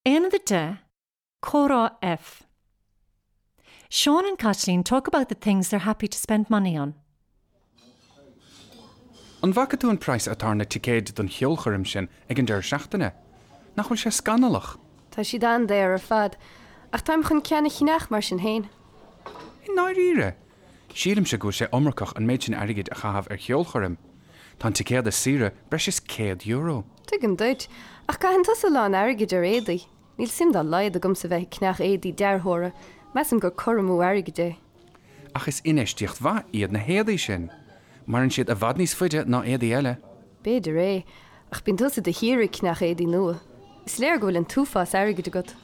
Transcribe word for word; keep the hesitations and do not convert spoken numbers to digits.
Aonad a deich, Comhrá F. Sean and Caitlín talk about the things they're happy to spend money on. An bhfaca tú an praghas atá ar na ticéid don cheolchoirm sin ag an deireadh seachtaine? Nach bhfuil sé scannalach? Tá siad an-daor ar fad, ach táim chun ceann a cheannach mar sin féin. I ndáiríre. Sílimse go bhfuil sé iomarcach an méid sin airgid a chaitheamh ar cheolchoirm. Tá an ticéad is saoire breis is céad euro. Tuigim duit, ach caitheann tusa a lán airgid ar éadaí. Níl suim dá laghad agamsa bheith ag ceannach éadaí dearthóra, measaim gur cur amú airgid é. Ach is infheistíocht mhaith iad na héadaí sin. Maireann siad i bhfad níos faide ná éadaí eile. B'fhéidir é, ach bíonn tusa de shíor ag ceannach éadaí nua. Is léir go bhfuil an t-uafás airgid agat.